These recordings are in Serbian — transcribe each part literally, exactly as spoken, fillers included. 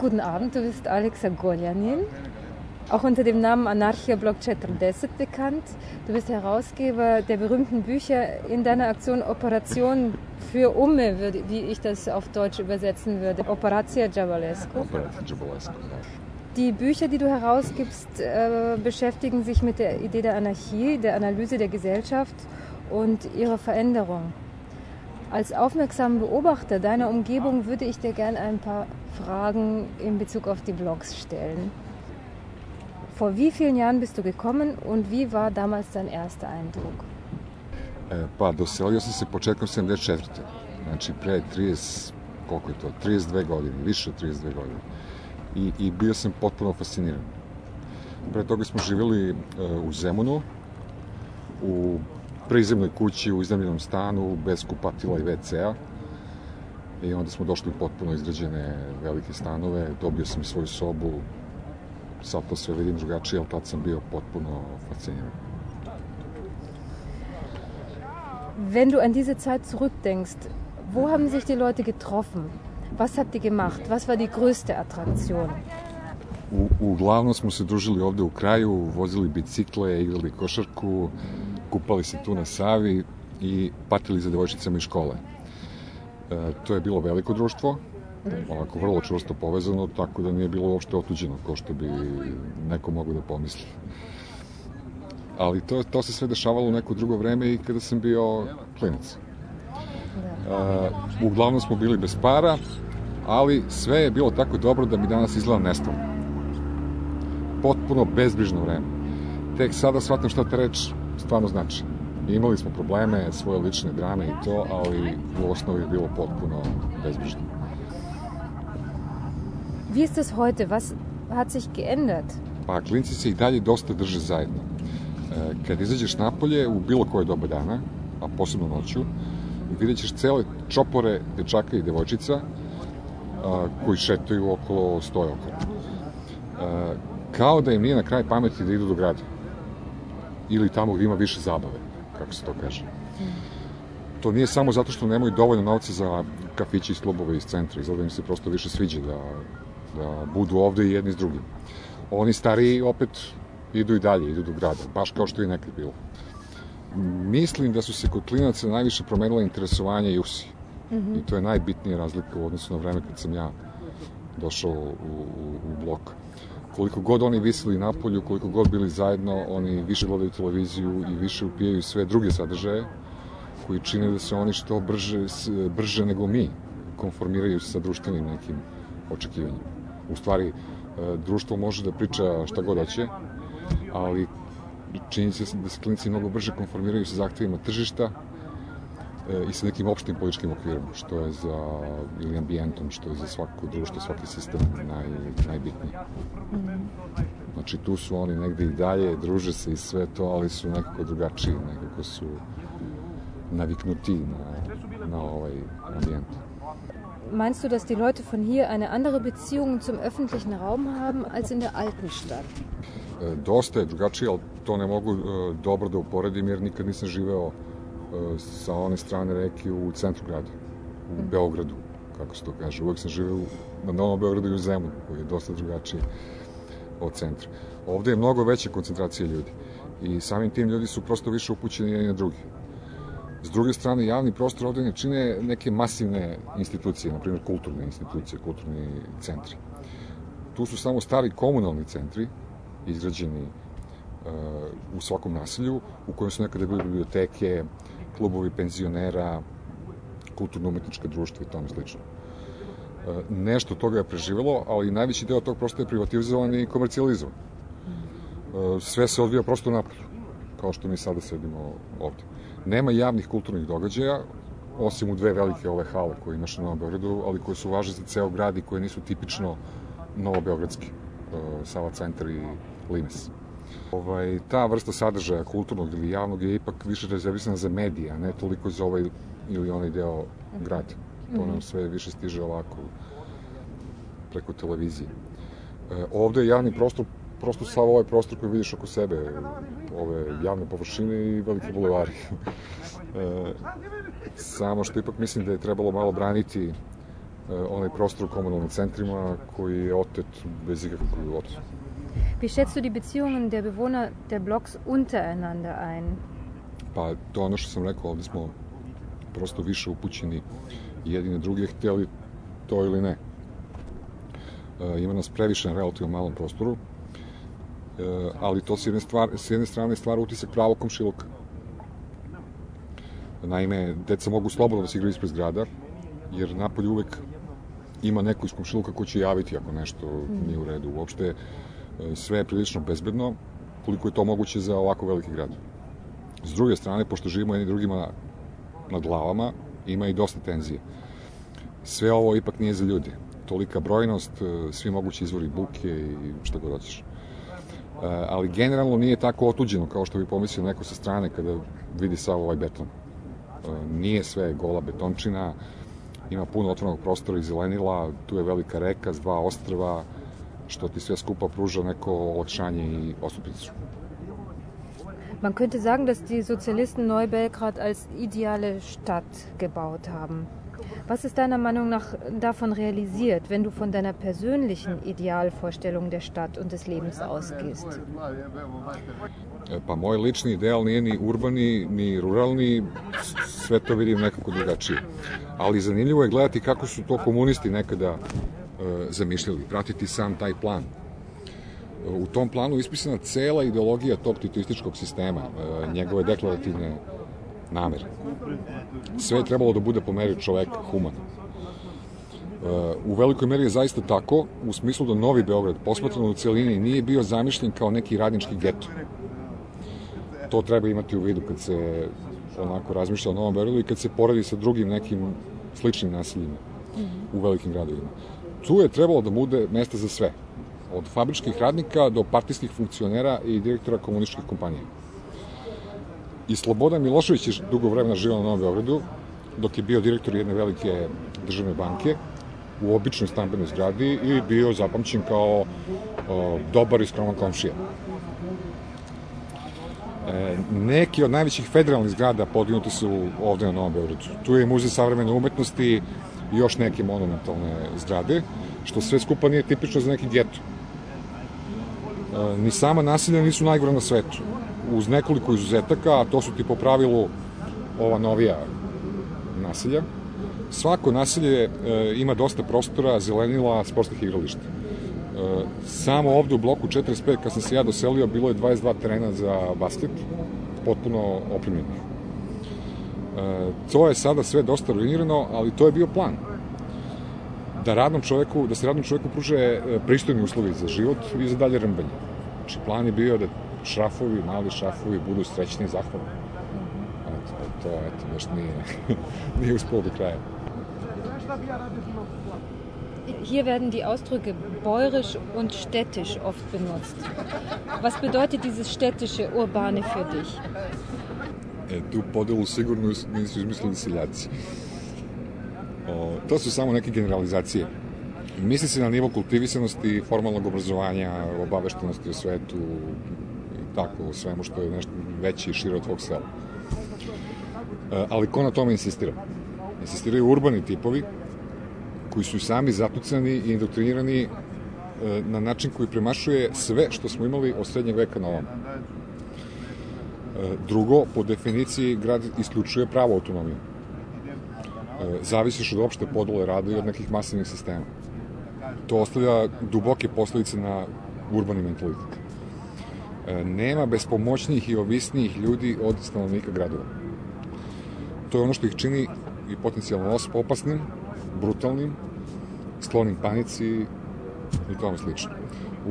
guten Abend, du bist Alexa Goljanin, auch unter dem Namen Anarchia-Blog četrdeset bekannt. Du bist Herausgeber der berühmten Bücher in deiner Aktion Operation für Umme, wie ich das auf Deutsch übersetzen würde. Operacija Đavolesku. Operacija Đavolesku, ja. Die Bücher, die du herausgibst, äh, beschäftigen sich mit der Idee der Anarchie, der Analyse der Gesellschaft und ihrer Veränderung. Als aufmerksamer Beobachter deiner Umgebung würde ich dir gerne ein paar Fragen in Bezug auf die Blogs stellen. Vor wie vielen Jahren bist du gekommen und wie war damals dein erster Eindruck? E, pa, doselio sam se početkom sedamdeset četvrte. Znači, pre trideset, koliko je to, trideset dve godine, više od trideset dve godine. I, i bio sam potpuno fasciniran. Pre toga smo živjeli e, u Zemunu, u prizemnoj kući, u iznajmljenom stanu, bez kupatila i ve ce a. I onda smo došli u potpuno izgrađene velike stanove, dobio sam svoju sobu, sad to sve vidim drugačije, ali tad sam bio potpuno fasciniran. Wenn du an diese Zeit zurückdenkst, wo haben sich die Leute getroffen? Was habt ihr gemacht? Was war die größte Attraktion? U, uglavnom smo se družili ovde u kraju, vozili bicikle, igrali košarku, kupali se tu na Savi i patili za devojčicama iz škole. E, to je bilo veliko društvo, ovako vrlo čvrsto povezano, tako da nije bilo uopšte otuđeno, kao što bi neko mogo da pomisli. Ali to, to se sve dešavalo u neko drugo vreme i kada sam bio klinac. E, uglavnom smo bili bez para, ali sve je bilo tako dobro da mi danas izgleda nestalo. Potpuno bezbrižno vreme. Tek sada shvatam šta ta reč stvarno znači. Imali smo probleme, svoje lične drame i to, ali u osnovi je bilo potpuno bezbrižno. Wie ist das heute? Was hat sich geändert? Pa, klinci se i dalje dosta drže zajedno. E, kad izađeš napolje u bilo koje doba dana, a posebno noću, vidjet ćeš cele čopore dečaka i devojčica a, koji šetaju okolo, stoje okolo. E, kao da im nije na kraj pameti da idu do grada. Ili tamo gdje ima više zabave, kako se to kaže. To nije samo zato što nemaju dovoljno novca za kafići i klubove iz centra, izgleda im se prosto više sviđa da, da budu ovde i jedni s drugim. Oni stariji opet idu i dalje, idu do grada, baš kao što je nekad bilo. Mislim da su se kod klinaca najviše promenila interesovanja i usi. Mm-hmm. I to je najbitnija razlika u odnosu na vreme kad sam ja došao u, u, u blok. Koliko god oni visili napolju, koliko god bili zajedno, oni više gledaju televiziju i više upijaju sve druge sadržaje koji čine da se oni što brže, brže nego mi konformiraju sa društvenim nekim očekivanjima. U stvari, društvo može da priča šta god hoće, ali čini se da se klinici mnogo brže konformiraju sa zahtevima tržišta i sa nekim opštim političkim okvirom, što je za, ili ambijentom, što je za svako društvo, svaki sistem naj, najbitniji. Znači, tu su oni negde i dalje, druže se i sve to, ali su nekako drugačiji, nekako su naviknuti na, na ovaj ambijent. Meinst du, dass die Leute von hier eine andere Beziehung zum öffentlichen Raum haben als in der alten Stadt? E, dosta je drugačije, ali to ne mogu e, dobro da uporedim, jer nikad nisam živeo sa one strane reke u centru grada, u Beogradu, kako se to kaže. Uvek sam živeo na Novom Beogradu i u Zemunu, koji je dosta drugačiji od centra. Ovde je mnogo veća koncentracija ljudi i samim tim ljudi su prosto više upućeni jedni na drugi. S druge strane, javni prostor ovde ne čine neke masivne institucije, na primjer kulturne institucije, kulturni centri. Tu su samo stari komunalni centri, izgrađeni uh, u svakom naselju, u kojem su nekada bili biblioteke, klubovi penzionera, kulturno-umetnička društva i tome slično. E, nešto toga je preživelo, ali najveći deo tog prosto je privatizovan i komercijalizovan. E, sve se odvija prosto napolju, kao što mi sada sedimo ovde. Nema javnih kulturnih događaja, osim u dve velike ove hale koje imaš na Novom Beogradu, ali koje su važne za ceo grad i koje nisu tipično novobeogradski, e, Sava centar i Limes. Ovaj, ta vrsta sadržaja kulturnog ili javnog je ipak više rezervisana za medije, a ne toliko za ovaj ili onaj deo grada. To nam sve više stiže ovako preko televizije. E, ovde je javni prostor, prosto sav ovaj prostor koji vidiš oko sebe, ove javne površine i velike bulevari. e, samo što ipak mislim da je trebalo malo braniti onaj prostor u komunalnim centrima koji je otet bez ikakvog odsustva. Wie schätzt du die Beziehungen der Bewohner der Blocks untereinander ein? Pa to je ono što sam rekao, ovdje smo prosto više upućeni jedine druge, htjeli to ili ne. E, ima nas previše na relativno malom prostoru, e, ali to s jedne, stvar, s jedne strane stvara utisak pravog komšiluka. Naime, deca mogu slobodno da se igraju ispred zgrada, jer napolje uvek ima neko iz komšiluka ko će javiti ako nešto nije u redu. Uopšte, sve je prilično bezbedno, koliko je to moguće za ovako veliki grad. S druge strane, pošto živimo jedni drugima nad glavama, ima i dosta tenzije. Sve ovo ipak nije za ljudi. Tolika brojnost, svi mogući izvori buke i šta god hoćeš. Ali generalno nije tako otuđeno kao što bi pomislio neko sa strane kada vidi sav ovaj beton. Nije sve gola betončina, ima puno otvorenog prostora i zelenila, tu je velika reka s dva ostrva, što ti sve skupa pruža neko olakšanje i ostupicu. Man könnte sagen, dass die Sozialisten Neubelgrad als ideale Stadt gebaut haben. Was ist deiner Meinung nach davon realisiert, wenn du von deiner persönlichen Idealvorstellung der Stadt und des Lebens ausgehst? Pa moj lični ideal nije ni urbani, ni ruralni, sve to vidim nekako drugačije. Ali zanimljivo je gledati kako su to komunisti nekada e, zamišljali, pratiti sam taj plan. U tom planu ispisana cela ideologija tog titoističkog sistema, e, njegove deklarativne namere. Sve je trebalo da bude po meri čoveka, humano. E, u velikoj meri je zaista tako, u smislu da Novi Beograd, posmatrano u celini, nije bio zamišljen kao neki radnički geto. To treba imati u vidu kad se onako razmišlja o Novom Beogradu i kad se poredi sa drugim nekim sličnim naseljima u velikim gradovima. Tu je trebalo da bude mesta za sve. Od fabričkih radnika do partijskih funkcionera i direktora komunističkih kompanija. I Slobodan Milošević je dugo vremena živao na Novom Beogradu, dok je bio direktor jedne velike državne banke u običnoj stambenoj zgradi i bio zapamćen kao o, dobar i skroman komšija. E, neki od najvećih federalnih zgrada podinuti su ovde na Novom Beogradu. Tu je Muzej savremene umetnosti i još neke monumentalne zgrade, što sve skupa nije tipično za neki geto. E, ni sama naselja nisu najgora na svetu. Uz nekoliko izuzetaka, a to su ti po pravilu ova novija naselja. Svako naselje e, ima dosta prostora, zelenila, sportskih igrališta. E, samo ovde u bloku četrdeset pet, kad sam se ja doselio, bilo je dvadeset dva terena za basket, potpuno opremljenih. E, to je sada sve dosta ruinirano, ali to je bio plan. Da, radnom čoveku, da se radnom čoveku pruže pristojni uslovi za život i za dalje rmbanje. Znači, plan je bio da šrafovi, mali šrafovi budu srećni i zahvalni. Eto, to, eto, baš nije, nije uspelo do kraja. Hier werden die Ausdrücke bäuerisch und städtisch oft benutzt. Was bedeutet dieses städtische, urbane für dich? E, tu podelu sigurno nisu izmislili seljaci. O, to su samo neke generalizacije. Misli se na nivo kultivisanosti, formalnog obrazovanja, obaveštenosti o svetu, tako, o svemu što je nešto veće i šire od tvog sela. E, ali ko na tome insistira? Insistiraju urbani tipovi, koji su sami zatucani i indoktrinirani e, na način koji premašuje sve što smo imali od srednjeg veka na ovom. E, drugo, po definiciji, grad isključuje pravo autonomiju. E, zavisiš od opšte podele rada i od nekih masivnih sistema. To ostavlja duboke posledice na urbani mentalitet. E, nema bespomoćnijih i ovisnijih ljudi od stanovnika gradova. To je ono što ih čini i potencijalno opasnim, brutalnim, sklonim panici i tome slično.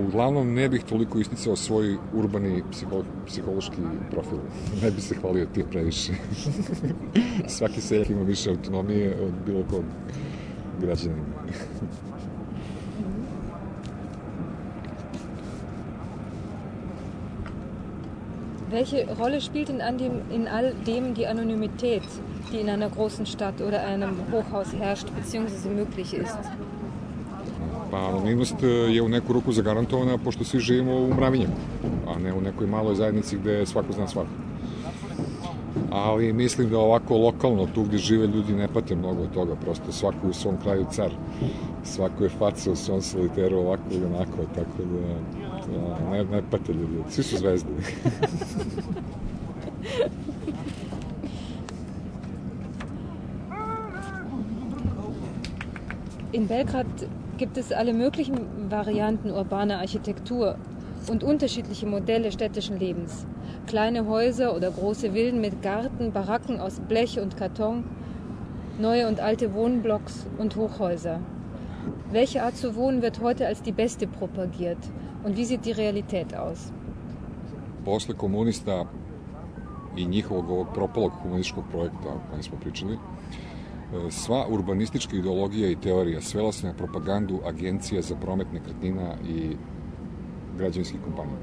Uglavnom, ne bih toliko isticao svoj urbani psiho, psihološki profil. Ne bih se hvalio ti previše. Svaki seljak ima više autonomije od bilo kog građanina. Welche Rolle spielt in, an dem, in all dem die Anonymität, die in einer großen Stadt oder einem Hochhaus herrscht bzw. möglich ist? Pa anonimnost je u neku ruku zagarantovana pošto svi živimo u mravinjama, a ne u nekoj maloj zajednici gde svako zna svako. ali mislim da ovako lokalno, tu gdje žive ljudi, ne pate mnogo od toga, prosto svako u svom kraju car, svako je faca u svom soliteru ovako ili onako, tako da, da ne, ne pate ljudi, svi su zvezde. In Belgrad gibt es alle möglichen Varianten urbaner Architektur und unterschiedliche Modelle städtischen Lebens. Kleine Häuser oder große Villen mit Garten, Baracken aus Blech und Karton, neue und alte Wohnblocks und Hochhäuser. Welche Art zu wohnen wird heute als die beste propagiert und wie sieht die Realität aus? Posle komunista i njihovog ovog propalog komunističkog projekta o kojem smo pričali, sva urbanistička ideologija i teorija svela se na propagandu agencija za promet nekretnina i građevinskih kompanija.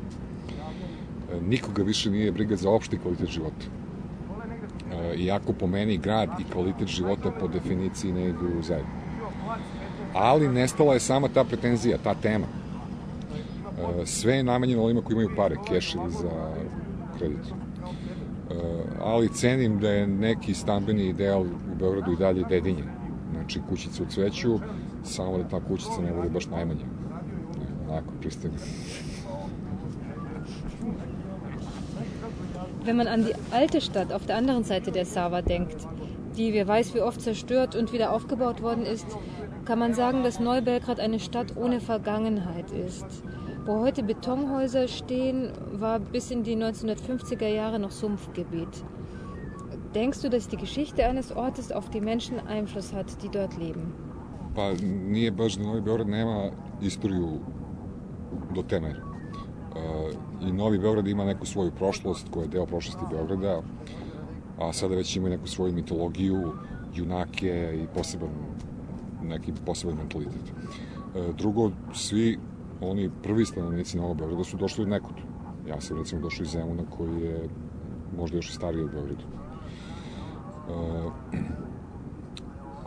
Nikoga više nije briga za opšti kvalitet života. Iako po meni grad i kvalitet života po definiciji ne idu zajedno. Ali nestala je sama ta pretenzija, ta tema. Sve je namenjeno ovima koji imaju pare, keš ili za kredit. Ali cenim da je neki stambeni ideal u Beogradu i dalje dedinje. Znači kućica u cveću, samo da ta kućica ne bude baš najmanja. Onako, pristojno. Wenn man an die alte Stadt auf der anderen Seite der Sava denkt, die wer weiß wie oft zerstört und wieder aufgebaut worden ist, kann man sagen, dass Neubelgrad eine Stadt ohne Vergangenheit ist. Wo heute Betonhäuser stehen, war bis in die neunzehnhundertfünfziger Jahre noch Sumpfgebiet. Denkst du, dass die Geschichte eines Ortes auf die Menschen Einfluss hat, die dort leben? Pa nije baš da Novi Beograd nema istoriju do te mere. I Novi Beograd ima neku svoju prošlost koja je deo prošlosti Beograda, a sada već ima neku svoju mitologiju, junake i poseban, neki poseban mentalitet. Drugo, svi oni prvi stanovnici Novog Beograda su došli od nekud. Ja sam recimo došao iz Zemuna koji je možda još i stariji od Beogradu.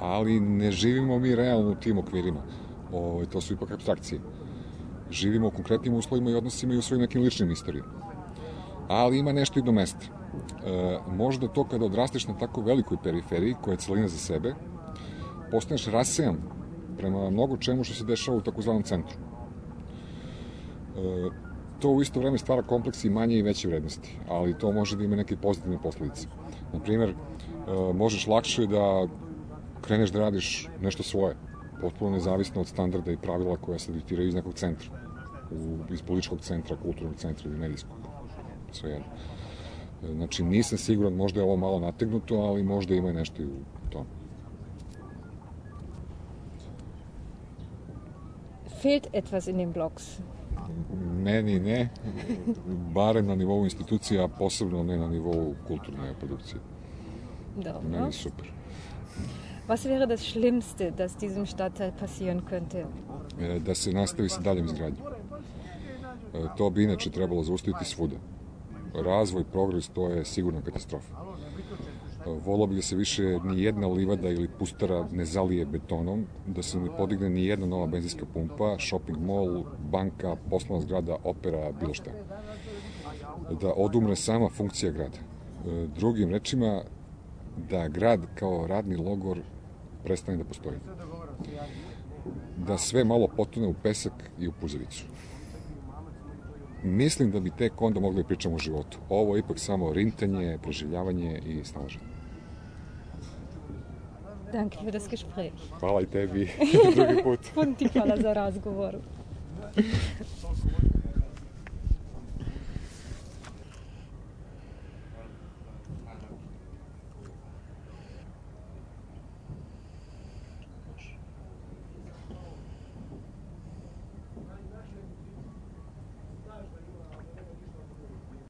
Ali ne živimo mi realno u tim okvirima. O, to su ipak apstrakcije. Živimo u konkretnim uslovima i odnosima i u svojim nekim ličnim istorijama. Ali ima nešto i do mesta. E, možda to kada odrasteš na tako velikoj periferiji, koja je celina za sebe, postaneš rasejan prema mnogo čemu što se dešava u takozvanom centru. E, to u isto vreme stvara kompleks i manje i veće vrednosti, ali to može da ima neke pozitivne posledice. Naprimer, e, možeš lakše da kreneš da radiš nešto svoje, potpuno nezavisno od standarda i pravila koja se diktiraju iz nekog centra, u, iz političkog centra, kulturnog centra ili medijskog, sve jedno. Znači, nisam siguran, možda je ovo malo nategnuto, ali možda ima i nešto i u tom. Fehlt etwas in den Blogs? Meni ne, barem na nivou institucija, a posebno ne na nivou kulturne produkcije. Dobro. Meni super. Was wäre das Schlimmste, das diesem Stadtteil passieren könnte? Da se nastavi sa daljom izgradnjom. To bi inače trebalo zaustaviti svuda. Razvoj, progres, to je sigurna katastrofa. Volao bi da se više ni jedna livada ili pustara ne zalije betonom, da se ne podigne ni jedna nova benzinska pumpa, shopping mall, banka, poslovna zgrada, opera, bilo šta. Da odumre sama funkcija grada. Drugim rečima, da grad kao radni logor prestane da postoji. Da sve malo potone u pesak i u puzavicu. Mislim da bi tek onda mogli da pričamo o životu. Ovo je ipak samo rintanje, preživljavanje i snalaženje. Danke für das Gespräch. Hvala i tebi. Drugi put. Puno ti hvala za razgovor.